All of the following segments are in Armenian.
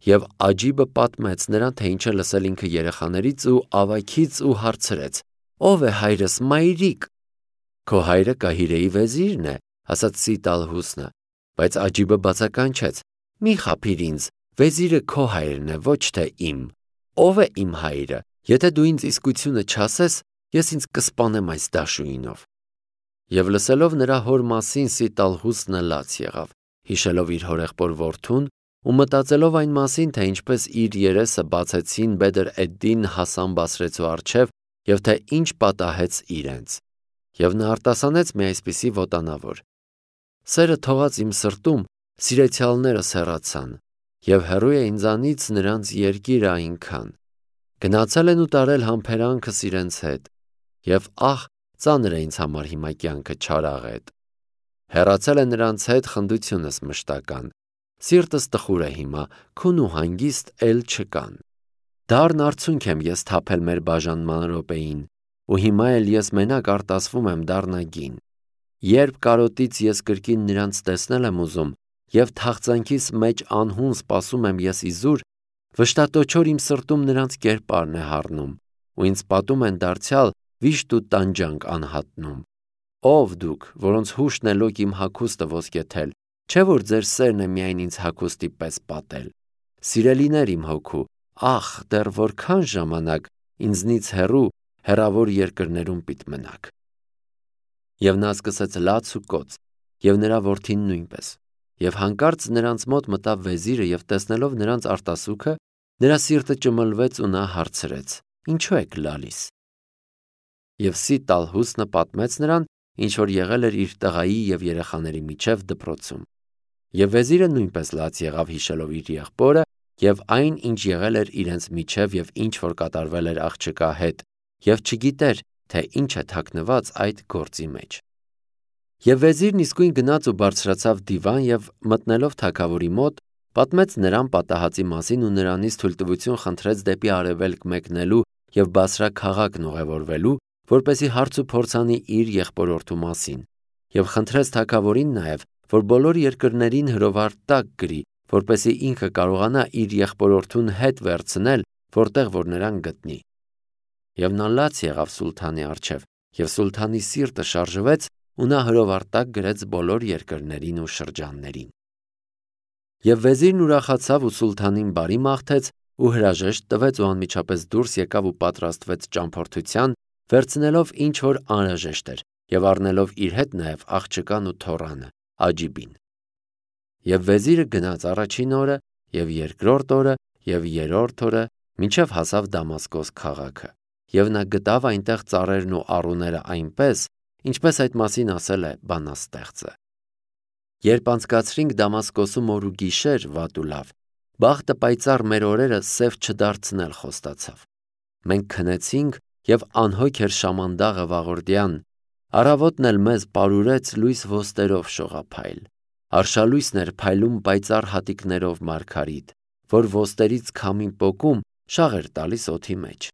Եվ Աջիբը պատմեց նրան, թե ինչ է լսել ինքը երեխաներից ու ավագից ու հարցրեց. «Ո՞վ է հայրս, մայրիկ»։ «Քո հայրը Կահիրեի վեզիրն է», ասաց Սիտալհուսնը, բայց Աջիբը բացականչեց. «Մի խաբիր ինձ, վեզիրը քո հայրն է, ոչ թե իմ։ Ո՞վ է իմ հայրը, եթե դու ինձ իսկությունը չասես, ես ինձ կսպանեմ այս դաշույնով»։ Եվ լսելով նրա հոր մասին Սիտալհուսնը լաց եղավ, հիշելով իր հորեղբոր որդուն ու մտածելով այն մասին, թե ինչպես իր երեսը բացեցին Բեդր Էդդին Հասան Բասրեցու առջև և թե ինչ պատահեց իրենց։ Եվ նա արտասանեց մի այսպիսի ոտանավոր. «Սերը թողած իմ սրտում, սիրեցյալներս հեռացան, և հեռու է ինձանից նրանց երկիրը այնքան։ Գնացել են ու տարել համբերանքս իրենց հետ, և ահ, ծանր է ինձ համար հիմա կյանքը չարաղետ։ Հեռացել է նրանց հետ խնդությունս մշտական, սիրտս տխուր է հիմա, քուն ու հանգիստ էլ չկան։ Դառն արցունք եմ ես թափել մեր բաժանման րոպեին, ու հիմա էլ ես մենակ արտասվում եմ դառնագին։ Երբ կարոտից ես կրկին նրանց տեսնել եմ ուզում, և թախծանքիս մեջ անհուն սպասում եմ ես իզուր, վշտատոչոր իմ սրտում նրանց կերպարն է հառնում, ու ինձ պատում են դարձյալ վիշտ ու տանջանք անհատնում։ Ով դուք, որոնց հուշն է լոկ իմ հագուստը ոսկեթել, չէ՞ որ ձեր սերն է միայն ինձ հագուստի պես պատել։ Սիրելիներ իմ հոգու, ախ, դեռ որքան ժամանակ ինձնից հեռավոր երկրներում պիտի մնաք։ Եվ նա սկսեց լաց ու կոծ, և նրա որդին նույնպես։ Եվ հանկարծ նրանց մոտ մտավ վեզիրը և տեսնելով նրանց արտասուքը, նրա սիրտը ճմլվեց ու նա հարցրեց. «Ինչու եք լալիս»։ Եվ Սիտալհուսնը պատմեց նրան, ինչ որ եղել էր իր տղայի և երեխաների միջև դպրոցում։ Եվ վեզիրը նույնպես լաց եղավ հիշելով իր եղբորը և այն, ինչ եղել էր իրենց միջև և ինչ որ կատարվել էր աղջկա հետ, և չգիտեր, թե ինչ է թաքնված այդ գործի մեջ։ Եվ վեզիրն իսկույն գնաց ու բարձրացավ դիվան և մտնելով թագավորի մոտ, պատմեց նրան պատահածի մասին ու նրանից թույլտվություն խնդրեց դեպի արևելք մեկնելու և Բասրա քաղաքն ուղևորվելու, որպեսզի հարց ու փորձ անի իր եղբորորդու մասին, և խնդրեց թագավորին նաև, որ բոլոր երկրներին հրովար տակ գրի, որպեսզի ինքը կարողանա իր եղբորորդուն հետ վերցնել, որտեղ որ նրան գտնի։ Եվ նա լաց եղավ սուլթանի առջև, և սուլթանի սիրտը շարժվեց, ու նա հրովարտակ գրեց բոլոր երկրներին ու շրջաններին։ Եվ վեզիրն ուրախացավ ու սուլթանին բարի մաղթեց ու հրաժեշտ տվեց ու անմիջապես դուրս եկավ ու պատրաստվեց ճամփորդության, վերցնելով ինչ որ անհրաժեշտ էր և առնելով իր հետ նաև աղջկան ու թոռանը՝ Աջիբին։ Եվ վեզիրը գնաց առաջին օրը և երկրորդ օրը և երրորդ օրը, մինչև հասավ Դամասկոս քաղաքը, և նա գտավ այնտեղ ծառերն ու առուները այնպես, ինչպես այդ մասին ասել է բանաստեղծը. «Երբ անցկացրինք Դամասկոսում օր ու գիշեր, վատ ու լավ, բախտը պայծառ մեր օրերը սև չդարձնել խոստացավ։ Մենք քնեցինք, և անհոգ էր շամանդաղը վաղորդյան, առավոտն էլ մեզ պարուրեց լույս ոստերով շողափայլ։ Արշալույսն էր փայլում պայծառ հատիկներով մարգարիտ, որ ոստերից քամին պոկում շաղ էր տալիս օդի մեջ։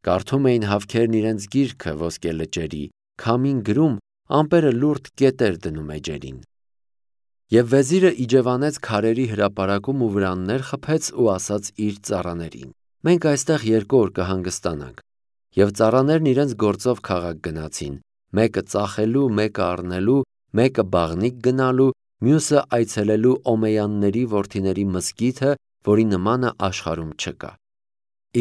Կարդում էին հավքերն իրենց գիրքը ոսկե լճերի, քամին գրում, ամպերը լուրջ կետեր դնում էջերին։ Եվ վեզիրը իջևանեց քարերի հրապարակում ու վրաններ խփեց ու ասաց իր ծառաներին. «Մենք այստեղ 2 օր կհանգստանանք»։ Եվ ծառաներն իրենց գործով քաղաք գնացին, մեկը ծախելու, մեկը առնելու, մեկը բաղնիք գնալու, մյուսը այցելելու Օմեյանների որդիների մզկիթը, որի նմանը աշխարհում չկա։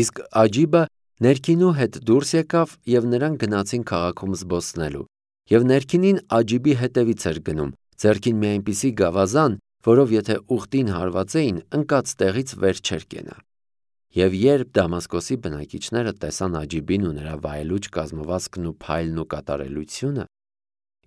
Իսկ Աջիբը ներքինու հետ դուրս եկավ, և նրանք գնացին քաղաքում զբոսնելու։ Եվ ներքինին Աջիբի հետևից էր գնում, ձեռքին մի այնպիսի գավազան, որով եթե ուխտին հարվածեին, ընկած տեղից վեր չէր կենա։ Եվ երբ Դամասկոսի բնակիչները տեսան Աջիբին ու նրա վայելուչ կազմվածքն ու փայլն ու կատարելությունը,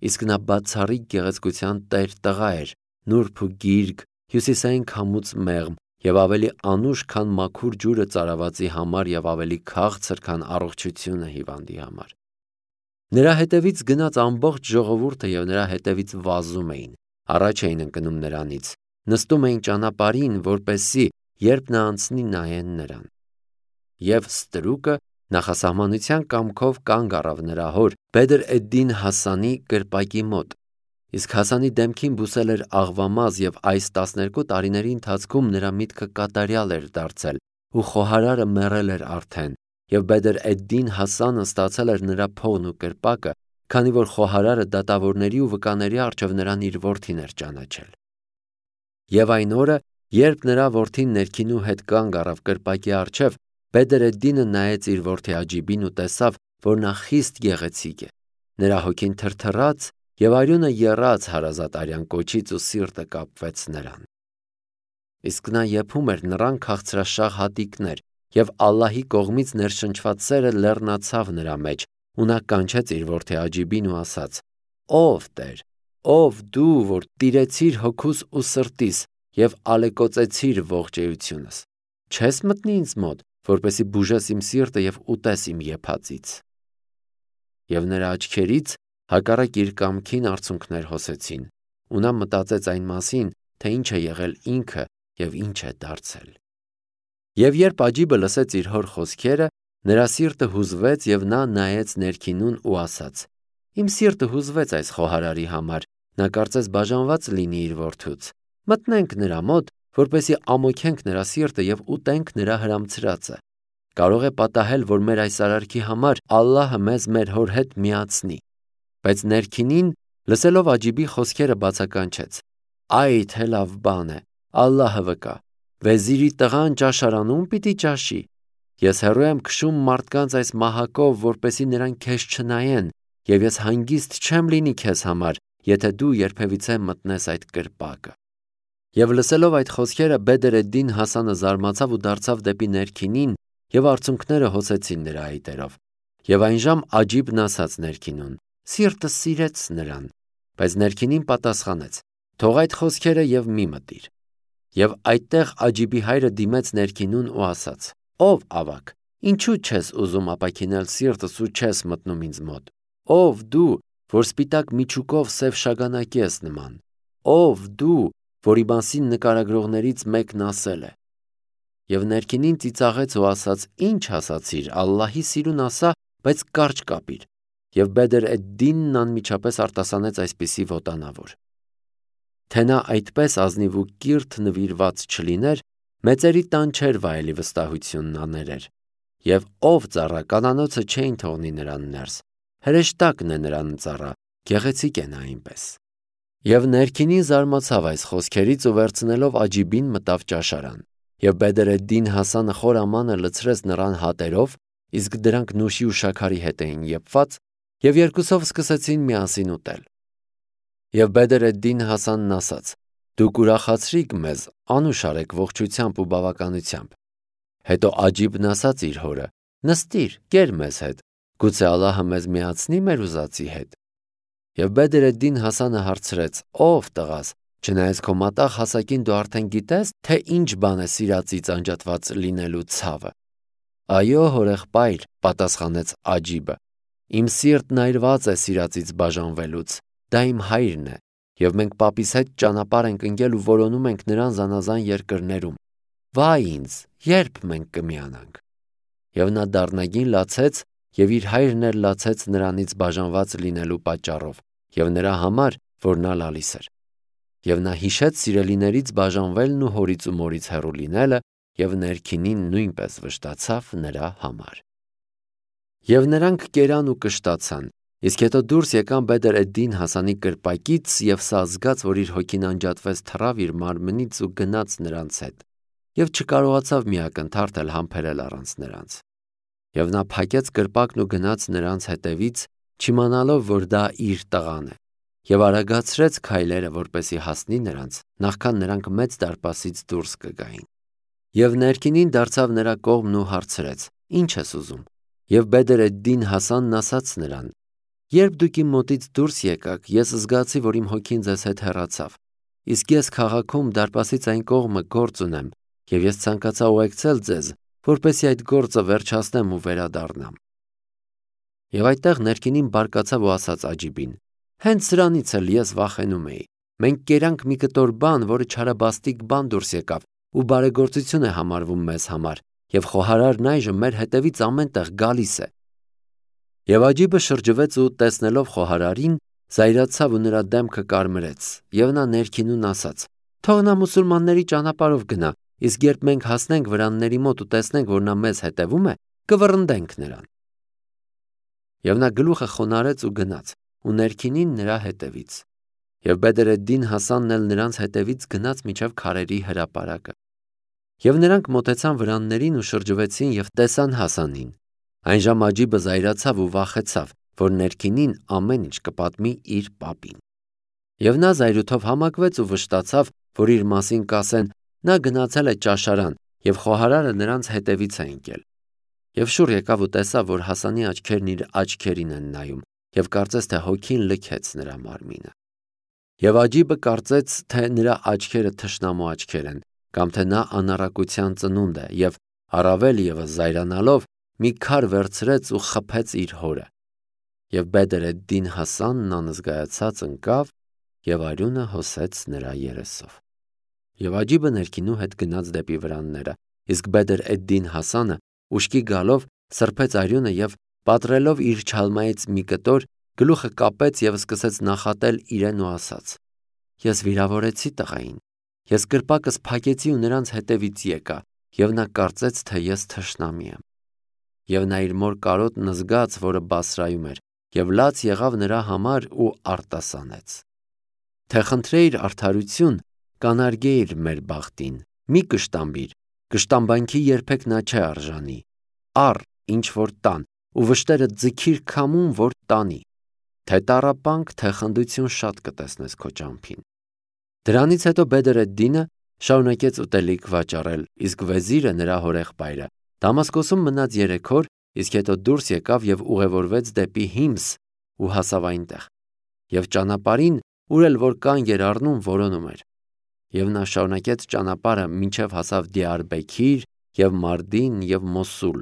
իսկ նա բացառիկ գեղեցկության տեր-տղա էր, նուրբ ու գիրք, հյուսիսային քամուց մեղմ և ավելի անուշ, քան մաքուր ջուրը ծարավածի համար և ավելի քաղցր, քան առողջությունը հիվանդի համար։ Նրա հետևից գնաց ամբողջ ժողովուրդը և նրա հետևից վազում էին, առաջ էին ընկնում նրանից, նստում էին ճանապարհին, որպեսզի երբ նա անցնի նայեն նրան։ Եվ ստրուկը նախասահմանության կամքով կանգ առավ նրա հոր Բեդր Էդդին Հասանի կրպակի մոտ, Իսկ Հասանի դեմքին բուսել էր աղվամազ և այս 12 տարիների ընթացքում նրա միտքը կատարյալ էր դարձել ու խոհարարը մեռել էր արդեն և Բեդր Էդդին Հասանը ստացել էր նրա փողն ու կրպակը, քանի որ խոհարարը դատավորների ու վկաների առջև նրան իր որդին էր ճանաչել։ Եվ այն օրը, երբ նրա որդին ներքինու հետ կանգ առավ կրպակի առջև, Բեդր Էդդինը նայեց իր որդի Աջիբին ու տեսավ, որ նա խիստ գեղեցիկ է։ Նրա հոգին թրթռաց և արյունը եռաց հարազատ արյան կոչից ու սիրտը կապվեց նրան։ Իսկ նա եփում էր նռան քաղցրաշաղ հատիկներ, և Ալլահի կողմից ներշնչված սերը լեռնացավ նրա մեջ, ու նա կանչեց իր որդի Աջիբին ու ասաց. «Ով Տեր, ով դու, որ տիրեցիր հոգուս ու սրտիս և ալեկոծեցիր ողջեյությունս, չես մտնի ինձ մոտ, որպեսզի բուժես իմ սիրտը և ուտես իմ եփածից»։ Եվ նրա աչքերից հակառակ իր կամքին արցունքներ հոսեցին, ու նա մտածեց այն մասին, թե ինչ է եղել ինքը և ինչ է դարձել։ Եվ երբ Աջիբը լսեց իր հոր խոսքերը, նրա սիրտը հուզվեց և նա նայեց ներքինուն ու ասաց. «Իմ սիրտը հուզվեց այս խոհարարի համար, նա կարծես բաժանված լինի իր որդուց։ Մտնենք նրա մոտ, որպեսզի ամոթենք նրա սիրտը և ուտենք նրա հրամցրածը։ Կարող է պատահել, որ մեր այս արարքի համար Ալլահը մեզ մեր հոր հետ միացնի»։ Բայց ներքինին, լսելով Աջիբի խոսքերը, բացականչեց. «Այ թե լավ բան է, Ալլահը վկա, վեզիրի տղան ճաշարանում պիտի ճաշի։ Ես հեռու եմ քշում մարդկանց այս մահակով, որպեսզի նրանք քեզ չնայեն, և ես հանգիստ չեմ լինի քեզ համար, եթե դու երբևիցե մտնես այդ կրպակը»։ Եվ լսելով այդ խոսքերը, Բեդր Էդդին Հասանը զարմացավ ու դարձավ դեպի ներքինին, և արցունքները հոսեցին նրա այտերով։ Եվ այնժամ Աջիբն ասաց ներքինուն. «Սիրտս սիրեց նրան»։ Բայց ներքինին պատասխանեց. «Թող այդ խոսքերը և մի մտիր»։ Եվ այդտեղ Աջիբի հայրը դիմեց ներքինուն ու ասաց. «Ով ավագ, ինչու չես ուզում ապաքինել սիրտս ու չես մտնում ինձ մոտ։ Ով դու, որ սպիտակ միջուկով սև շագանակի ես նման։ Ով դու, որի մասին նկարագրողներից մեկն ասել է»։ Եվ ներքինին ծիծաղեց ու ասաց. «Ինչ ասացիր, Ալլահի սիրուն ասա, բայց կարճ կապիր»։ Եվ Բեդր Էդդինն անմիջապես արտասանեց այսպիսի ոտանավոր. «Թե նա այդպես ազնիվ ու կիրթ նվիրված չլիներ, մեծերի տան չէր վայելի վստահությունն աներեր։ Եվ ով ծառա կանանոցը չէին թողնի նրան ներս, հրեշտակն է նրան ծառա, գեղեցիկ է նա այնպես»։ Եվ ներքինին զարմացավ այս խոսքերից ու վերցնելով Աջիբին մտավ ճաշարան։ Եվ Բեդր Էդդին Հասանը խոր ամանը լցրեց նռան հատերով, իսկ դրանք նուշի ու շաքարի հետ էին եփված, և երկուսով սկսեցին միասին ուտել։ Եվ Բեդր Էդդին Հասանն ասաց. «Դուք ուրախացրիք մեզ, անուշ արեք ողջությամբ ու բավականությամբ»։ Հետո Աջիբն ասաց իր հորը. «Նստիր, կեր մեզ հետ, գուցե Ալլահը մեզ միացնի մեր ուզածի հետ»։ Եվ Բեդր Էդդին Հասանը հարցրեց. «Ով տղաս, չնայած քո մատաղ հասակին դու արդեն գիտես, թե ինչ բան է սիրածից անջատված լինելու ցավը»։ «Այո, հորեղբայր», պատասխանեց Աջիբը, «իմ սիրտն այրված է սիրածից բաժանվելուց, դա իմ հայրն է, և մենք պապիս հետ ճանապարհ ենք ընկել ու որոնում ենք նրան զանազան երկրներում։ Վայ ինձ, ե՞րբ մենք կմիանանք»։ Եվ նա դառնագին լացեց, և իր հայրն էլ լացեց նրանից բաժանված լինելու պատճառով, և նրա համար, որ նա լալիս էր։ Եվ նա հիշեց սիրելիներից բաժանվելն ու հորից ու մորից հեռու լինելը, և ներքինին նույնպես վշտացավ նրա համար։ Եվ նրանք կերան ու կշտացան, իսկ հետո դուրս եկան Բեդր Էդդին Հասանի կրպակից, և սա զգաց, որ իր հոգին անջատվեց, թռավ իր մարմնից ու գնաց նրանց հետ, և չկարողացավ մի ակնթարթ էլ համբերել առանց նրանց։ Եվ նա փակեց կրպակն ու գնաց նրանց հետևից, չիմանալով, որ դա իր տղան է, և արագացրեց քայլերը, որպեսզի հասնի նրանց, նախքան նրանք մեծ դարպասից դուրս կգային։ Եվ ներքինին դարձավ նրա կողմն ու հարցրեց. «Ինչ ես ուզում»։ Եվ Բեդր Էդդին Հասանն ասաց նրան. «Երբ դուք իմ մոտից դուրս եկաք, ես զգացի, որ իմ հոգին ձեզ հետ հեռացավ, իսկ ես քաղաքում դարպասից այն կողմը գործ ունեմ, և ես ցանկացա ուղեկցել ձեզ, որպեսզի այդ գործը վերջացնեմ ու վերադառնամ»։ Եվ այդտեղ ներքինին բարկացավ ու ասաց Աջիբին. «Հենց սրանից էլ ես վախենում էի։ Մենք կերանք մի կտոր բան, որը չարաբաստիկ բան դուրս եկավ ու բարեգործություն է համարվում մեզ համար, և խոհարարն այժմ մեր հետևից ամեն տեղ գալիս է»։ Եվ Աջիբը շրջվեց ու տեսնելով խոհարարին, զայրացավ ու նրա դեմքը կարմրեց, եւ նա ներքինուն ասաց. «Թող նա մուսուլմանների ճանապարհով գնա, իսկ երբ մենք հասնենք վրանների մոտ ու տեսնենք, որ նա մեզ հետևում է, կվռնդենք նրան»։ Եվ նա գլուխը խոնարհեց ու գնաց, ու ներքինին նրա հետևից։ Եվ Բեդր էդ-Դին Հասանն էլ նրանց հետևից գնաց մինչև քարերի հրապարակը։ Եվ նրանք մոտեցան վրաններին ու շրջվեցին եւ տեսան Հասանին։ Այն ժամ Աջիբը զայրացավ ու վախեցավ, որ ներքինին ամեն ինչ կպատմի իր պապին։ Եվ նա զայրույթով համակվեց ու վշտացավ, որ իր մասին կասեն. նա գնացել է ճաշարան, եւ խոհարարը նրանց հետևից է ընկել։ Եվ շուռ եկավ ու տեսավ, որ Հասանի աչքերն իր աչքերին են նայում, եւ կարծեց, թե հոգին լքեց նրա մարմինը։ Եվ Աջիբը կարծեց, թե նրա աչքերը թշնամու աչքեր են, կամ թե նա անառակության ծնունդ է, եւ առավել եւս զայրանալով մի քար վերցրեց ու խփեց իր հորը։ Եվ Բեդր էդ-Դին Հասանն անզգայացած ընկավ եւ արյունը հոսեց նրա երեսով։ Եվ Աջիբը ներքինու հետ գնաց դեպի վրանները, իսկ Բեդր էդ-Դին Հասանը ուշքի գալով սրբեց արյունը եւ պատռելով իր չալմայից մի կտոր, գլուխը կապեց եւ սկսեց նախատել իրեն ու ասաց. «Ես վիրավորեցի տղային, ես կրպակս փակեցի ու նրանց հետևից եկա, եւ նա կարծեց, թե ես թշնամի եմ»։ Եվ նա իր մոր կարոտն զգաց, որը Բասրայում էր, եւ լաց եղավ նրա համար ու արտասանեց. «Թե խնդրեիր արդարություն, կանարգեիր մեր բախտին, մի կշտամբիր, կշտամբանքի երբեք նա չէ արժանի, առ ինչ որ տան, ու վշտերը ձգիր քամուն, որ տանի, թե տառապանք, թե խնդություն շատ կտեսնես քո ճամփին»։ Դրանից հետո Բեդր էդ-Դինը շարունակեց ուտելիք վաճառել, իսկ Վեզիրը նրա հորեղբայրը Դամասկոսում մնաց 3 օր, իսկ հետո դուրս եկավ եւ ուղևորվեց դեպի Հիմս ու հասավ այնտեղ։ Եվ ճանապարհին, ուր էլ որ կանգ էր առնում, որոնում էր։ Եվ նա շարունակեց ճանապարհը մինչև հասավ Դիարբեքիր եւ Մարդին եւ Մոսուլ,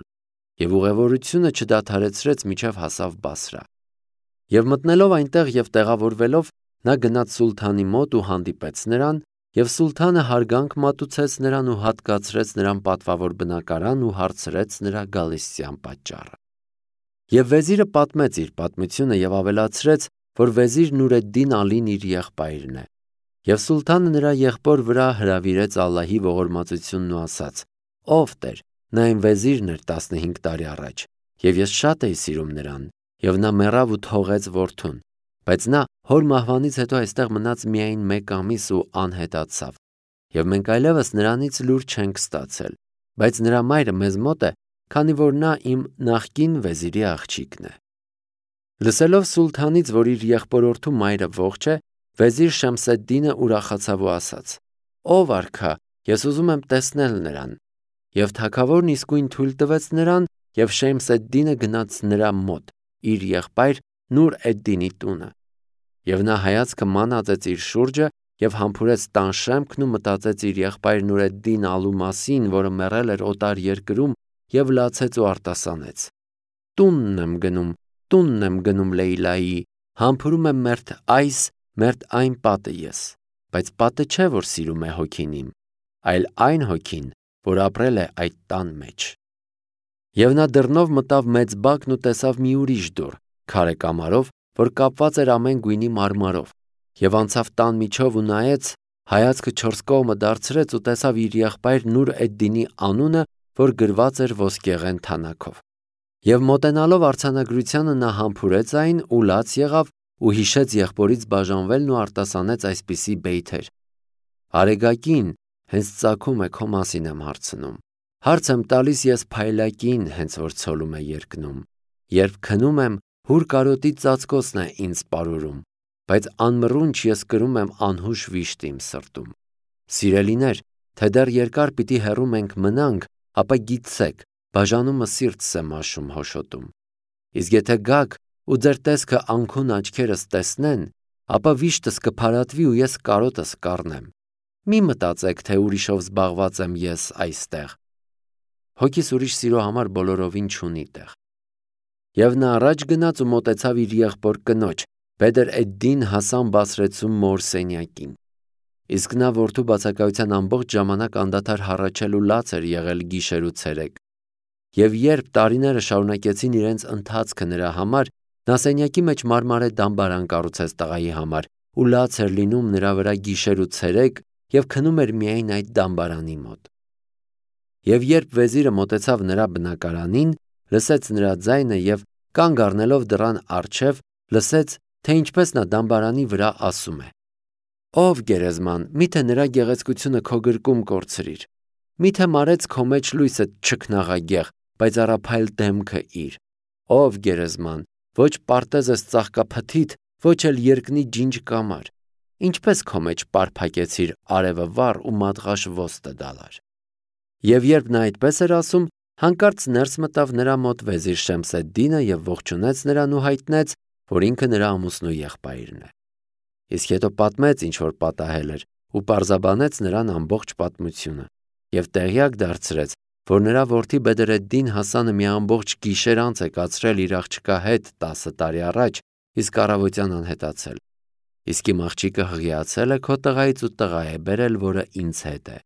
եւ ուղևորությունը չդադարեցրեց մինչև հասավ Բասրա։ Եվ մտնելով այնտեղ եւ տեղավորվելով, նա գնաց սուլթանի մոտ ու հանդիպեց նրան, եւ սուլթանը հարգանք մատուցեց նրան ու հատկացրեց նրան պատվավոր բնակարան ու հարցրեց նրա գալստյան պատճառը։ Եվ Վեզիրը պատմեց իր պատմությունը եւ ավելացրեց, որ Վեզիր Նուրեդդին Ալին իր եղբայրն է։ Եվ սուլթանը նրա եղբոր վրա հրավիրեց Ալլահի ողորմածությունն ու ասաց. «Ով Տեր, նա իմ Վեզիրն էր 15 տարի առաջ, եւ ես շատ էի սիրում նրան, եւ նա մեռավ ու թողեց որդուն, բայց նա հոր մահվանից հետո այստեղ մնաց միայն 1 ամիս ու անհետացավ, եւ մենք այլևս նրանից լուր չենք ստացել, բայց նրա մայրը մեզ մոտ է, քանի որ նա իմ նախկին Վեզիրի աղջիկն է»։ Լսելով սուլթանից, որ իր եղբորորդու մայրը ողջ է, Վեզիր Շամսեդդինը ուրախացավ ու ասաց. «Ով արքա, ես ուզում եմ տեսնել նրան»։ Եվ թագավորն իսկույն թույլ տվեց նրան, եւ Շամսեդդինը գնաց նրա մոտ, իր եղբայր Նուր էդ-Դինի տունը։ Եվ նա հայացքը մանածեց իր շուրջը եւ համբուրեց տան շեմքն ու մտածեց իր եղբայր Նուրեդդին Ալու մասին, որը մեռել էր օտար երկրում, եւ լացեց ու արտասանեց. «Տունն եմ գնում Լեյլայի, համբուրում եմ մերթ այս, մերթ այն պատը ես, բայց պատը չէ, որ սիրում է հոգին իմ, այլ այն հոգին, որ ապրել է այդ տան մեջ»։ Եվ նա դռնով մտավ մեծ բակն ու տեսավ մի ուրիշ դուռ, քարե կամարով, որ կապված էր ամեն գույնի մարմարով, եւ անցավ տան միջով ու նայեց, հայացքը 4 կողմը դարձրեց ու տեսավ իր եղբայր Նուր էդ-Դինի անունը, որ գրված էր ոսկեղեն թանաքով։ Եվ մոտենալով արձանագրությանը նա համբուրեց այն ու լաց եղավ ու հիշեց եղբորից բաժանվելն ու արտասանեց այսպիսի բեյթեր. «Արեգակին հենց ծագում է քո մասին եմ հարցնում, հարց եմ տալիս ես փայլակին, հենց որ ցոլում է երկնում, երբ քնում եմ, հուր կարոտի ծածկոցն է ինձ պարուրում, բայց անմռունչ ես կրում եմ անհուշ վիշտ իմ սրտում։ Սիրելիներ, թե դեռ երկար պիտի հեռու մենք մնանք, ապա գիտցեք, բաժանումը սիրտս է մաշում հոշոտում։ Իսկ եթե գաք ու ձեր տեսքը անքուն աչքերս տեսնեն, ապա վիշտս կփարատվի ու ես կարոտս կառնեմ։ Մի մտածեք, թե ուրիշով զբաղված եմ ես այստեղ։ Հոգիս ուրիշ սիրո համար բոլորովին չունի տեղ»։ Եվ նա առաջ գնաց ու մոտեցավ իր եղբոր կնոջ, Բեդր էդ-Դին Հասան Բասրեցու մոր սենյակին։ Իսկ նա որդու բացակայության ամբողջ ժամանակ անդադար հառաչել ու լաց էր եղել գիշեր ու ցերեկ։ Եվ երբ տարիները շարունակեցին իրենց ընթացքը նրա համար, Նա սենյակի մեջ մարմարե դամբարան կառուցեց տղայի համար ու լաց էր լինում նրա վրա գիշեր ու ցերեկ և քնում էր միայն այդ դամբարանի մոտ։ Եվ երբ վեզիրը մոտեցավ նրա բնակարանին, լսեց նրա ձայնը և կանգ առնելով դռան առջև, լսեց, թե ինչպես նա դամբարանի վրա ասում է. «Ով գերեզման, միթե նրա գեղեցկությունը քո գրկում կորցրիր, միթե մարեց քո մեջ լույսը չքնաղագեղ, բայց առափայլ դեմքը իր, ով գերեզման, ոչ պարտեզ ես ծաղկափթիթ, ոչ էլ երկնի ջինջ կամար, ինչպես քո մեջ պարփակեցիր արևը վառ ու մատղաշ ոստը դալար»։ Եվ երբ նա այդպես էր ասում, հանկարծ ներս մտավ նրա մոտ վեզիր Շեմսեդդինը և ողջունեց նրան ու հայտնեց, որ ինքը նրա ամուսնու եղբայրն է։ Իսկ հետո պատմեց, ինչ որ պատահել էր, ու պարզաբանեց նրան ամբողջ պատմությունը և տեղյակ դարձրեց, որ նրա որդի Բեդրեդդին Հասանը մի ամբողջ գիշեր անց է կացրել իր աղջկա հետ 10 տարի առաջ, իսկ առավոտյան անհետացել։ Իսկ իմ աղջիկը հղիացել է քո տղայից ու տղա է բերել, որը ինձ հետ է,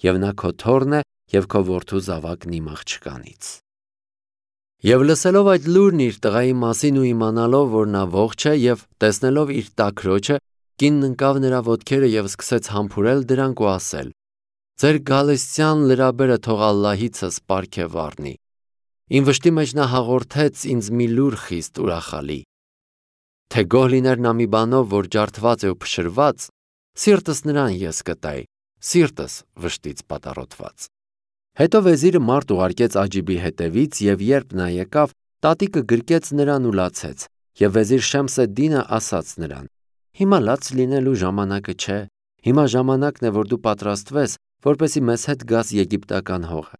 և նա քո թոռն է և քո որդու զավակն իմ աղջկանից։ Եվ լսելով այդ լուրն իր տղայի մասին ու իմանալով, որ նա ողջ է, և տեսնելով իր տաքրոջը, կինն ընկավ նրա ոտքերը և սկսեց համբուրել դրանք ու ասել. «Ձեր գալստյան լրաբերը թող Ալլահիցս պարգև առնի։ Իմ վշտի մեջ նա հաղորդեց ինձ մի լուր խիստ ուրախալի, թե գոհ լիներ նա մի բանով, որ ջարդված է ու փշրված, սիրտս նրան ես կտայի, սիրտս վշտից պատառոտված»։ Հետո վեզիրը մարդ ուղարկեց Աջիբի հետևից, և երբ նա եկավ, տատիկը գրկեց նրան ու լացեց, և վեզիր Շեմսեդդինը ասաց նրան. «Հիմա լաց լինելու ժամանակը չէ, հիմա ժամանակն է, որ դու պատրաստվես, որպեսզի մեզ հետ գաս եգիպտական հողը։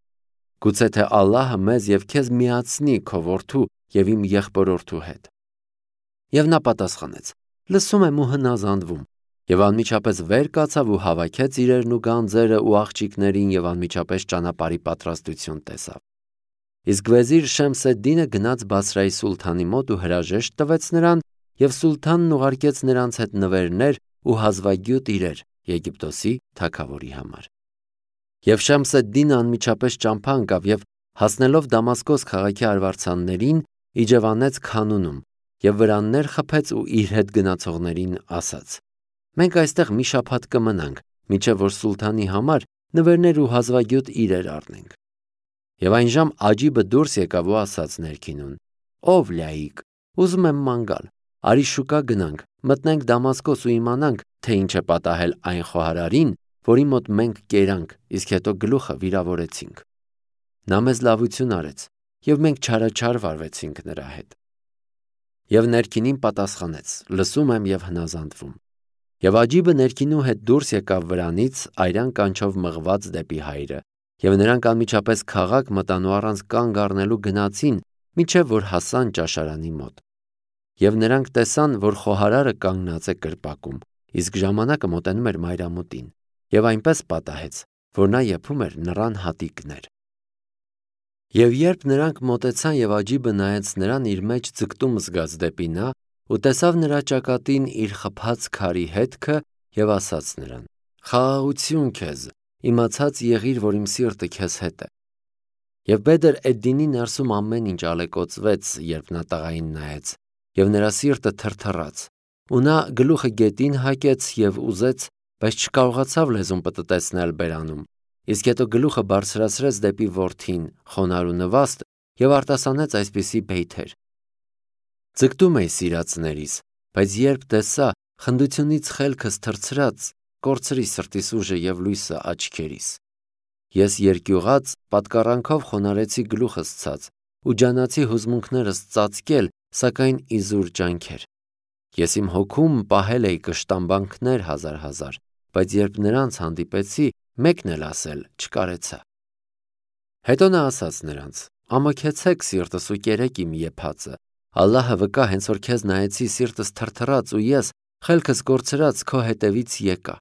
Գուցե թե Ալլահը մեզ և քեզ միացնի քո որդու և իմ եղբորորդու հետ»։ Եվ նա պատասխանեց. «Լսում եմ ու հնազանդվում», և անմիջապես վեր կացավ ու հավաքեց իրերն ու գանձերը ու աղջիկներին և անմիջապես ճանապարհի պատրաստություն տեսավ։ Իսկ վեզիր Շեմսեդդինը գնաց Բասրայի սուլթանի մոտ ու հրաժեշտ տվեց նրան, և սուլթանն ուղարկեց նրանց հետ նվերներ ու հազվագյուտ իրեր Եգիպտոսի թագավորի համար։ Եվ Շեմսեդդինը անմիջապես ճամփա ընկավ և հասնելով Դամասկոս քաղաքի արվարձաններին, իջևանեց Քանունում և վրաններ խփեց ու իր հետ գնացողներին ասաց. «Մենք այստեղ մի շաբաթ կմնանք, մինչև որ սուլթանի համար նվերներ ու հազվագյուտ իրեր առնենք»։ Եվ այնժամ Աջիբը դուրս եկավ ու ասաց ներքինուն. «Ով լայիկ, ուզում եմ ման գալ, արի շուկա գնանք, մտնենք Դամասկոս ու իմանանք, թե ինչ է պատահել այն խոհարարին, որի մոտ մենք կերանք, իսկ հետո գլուխը վիրավորեցինք։ Նա մեզ լավություն արեց, և մենք չարաչար վարվեցինք նրա հետ»։ Եվ ներքինին պատասխանեց. «Լսում եմ և հնազանդվում»։ Եվ Աջիբը ներքինու հետ դուրս եկավ վրանից այրան կանչով մղված դեպի հայրը, և նրանք անմիջապես քաղաք մտան ու առանց կանգ առնելու գնացին, մինչև որ հասան ճաշարանի մոտ։ Եվ նրանք տեսան, որ խոհարարը կանգնած է կրպակում, իսկ ժամանակը մոտենում էր մայրամուտին, և այնպես պատահեց, որ նա եփում էր նռան հատիկներ։ Եվ երբ նրանք մոտեցան և Աջիբը նայեց նրան իր մեջ ձգտում զգաց դեպի նա, ու տեսավ նրա ճակատին իր խփած քարի հետքը, և ասաց նրան. «Խաղաղություն քեզ, իմացած եղիր, որ իմ սիրտը քեզ հետ է»։ Եվ Բեդր Էդդինի ներսում ամեն ինչ ալեկոծվեց, երբ նա տղային նայեց, և նրա սիրտը թրթռաց, ու նա գլուխը գետին հակեց և ուզեց, բայց չկարողացավ լեզուն պտտեցնել բերանում, իսկ հետո գլուխը բարձրացրեց դեպի որդին, խոնարհ ու նվաստ, և արտասանեց այսպիսի բեյթեր. «Ձգտում էի սիրածներիս, բայց երբ տեսա, խնդությունից խելքս թռցրած, կորցրի սրտիս ուժը և լույսը աչքերիս։ Ես երկյուղած պատկառանքով խոնարհեցի գլուխս ցած ու ջանացի հուզմունքներս ծածկել, սակայն իզուր ջանքեր։ Ես իմ հոգում պահել էի կշտամբանքներ հազար, բայց երբ նրանց հանդիպեցի, մեկն էլ ասել չկարեցա»։ Հետո նա ասաց նրանց. «Ամոքեցեք սիրտս ու կերեք իմ եփածը։ Ալլահը վկա, հենց որ քեզ նայեցի, սիրտս թրթռաց ու ես, խելքս կորցրած, քո հետևից եկա»։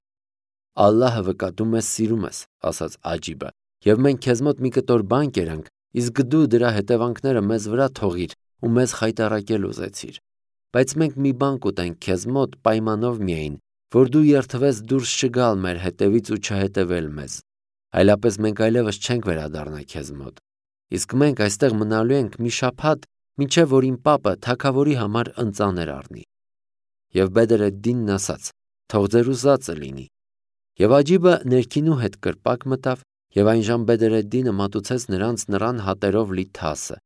«Ալլահը վկա, դու մեզ սիրում ես», ասաց Աջիբը, «և մենք քեզ մոտ մի կտոր բան կերանք, իսկ դու դրա հետևանքները մեզ վրա թողիր ու մեզ խայտառակել ուզեցիր։ Բայց մենք մի բան կուտենք քեզ մոտ պայմանով միայն, որ դու երդվես դուրս չգալ մեր հետևից ու չհետևել մեզ, այլապես մենք այլևս չենք վերադառնա քեզ մոտ։ Իսկ մենք այստեղ մնալու ենք մի շաբաթ, մինչև որ իմ պապը թագավորի համար ընծաներ առնի։ Եվ Բեդրեդդինն ասաց. թող ձեր ուզածը լինի։ Եվ Աջիբը ներքինու հետ կրպակ մտավ, եւ այնժամ Բեդրեդդինը մատուցեց նրանց նռան հատերով լի թասը,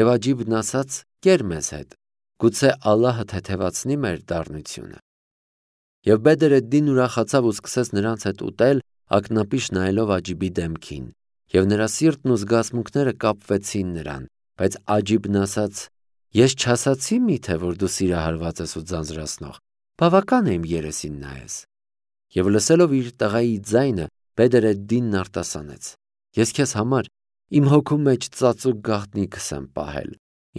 եւ Աջիբն ասաց. կեր մեզ հետ, գուցե Ալլահը թեթևացնի մեր դառնությունը։ Եվ Բեդրեդդինն ուրախացավ ու սկսեց նրանց հետ ուտել, ակնապիշ նայելով Աջիբի դեմքին, եւ նրա սիրտն ու զգացմունքները կապվեցին նրան, բայց Աջիբն ասաց. ես չասացի միթե, որ դու սիրահարված ես ու ձանձրացնող, բավական է իմ երեսին նայես։ Եվ լսելով իր տղայի ձայնը, Բեդրեդդինն արտասանեց. ես քեզ համար իմ հոգու մեջ ծածուկ գաղտնիքս եմ պահել,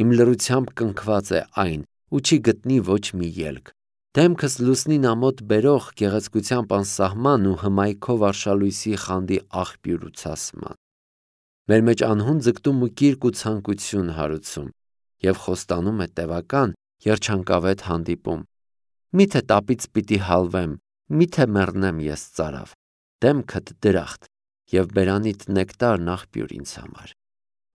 իմ լռությամբ կնքված է այն ու չի գտնի ոչ մի ելք, դեմքս լուսնին ամոթ բերող գեղեցկությամբ անսահման ու հմայքով արշալույսի խանդի աղբյուր ու ցասման։ Մեր մեջ անհուն ձգտում ու կիրք ու ցանկություն հարուցում, եւ խոստանում է տևական երջանկավետ հանդիպում։ Միթե տապից պիտի հալվեմ, միթե մեռնեմ ես ծարավ, դեմքդ դրախտ, եւ բերանիդ նեկտարն աղբյուր ինձ համար։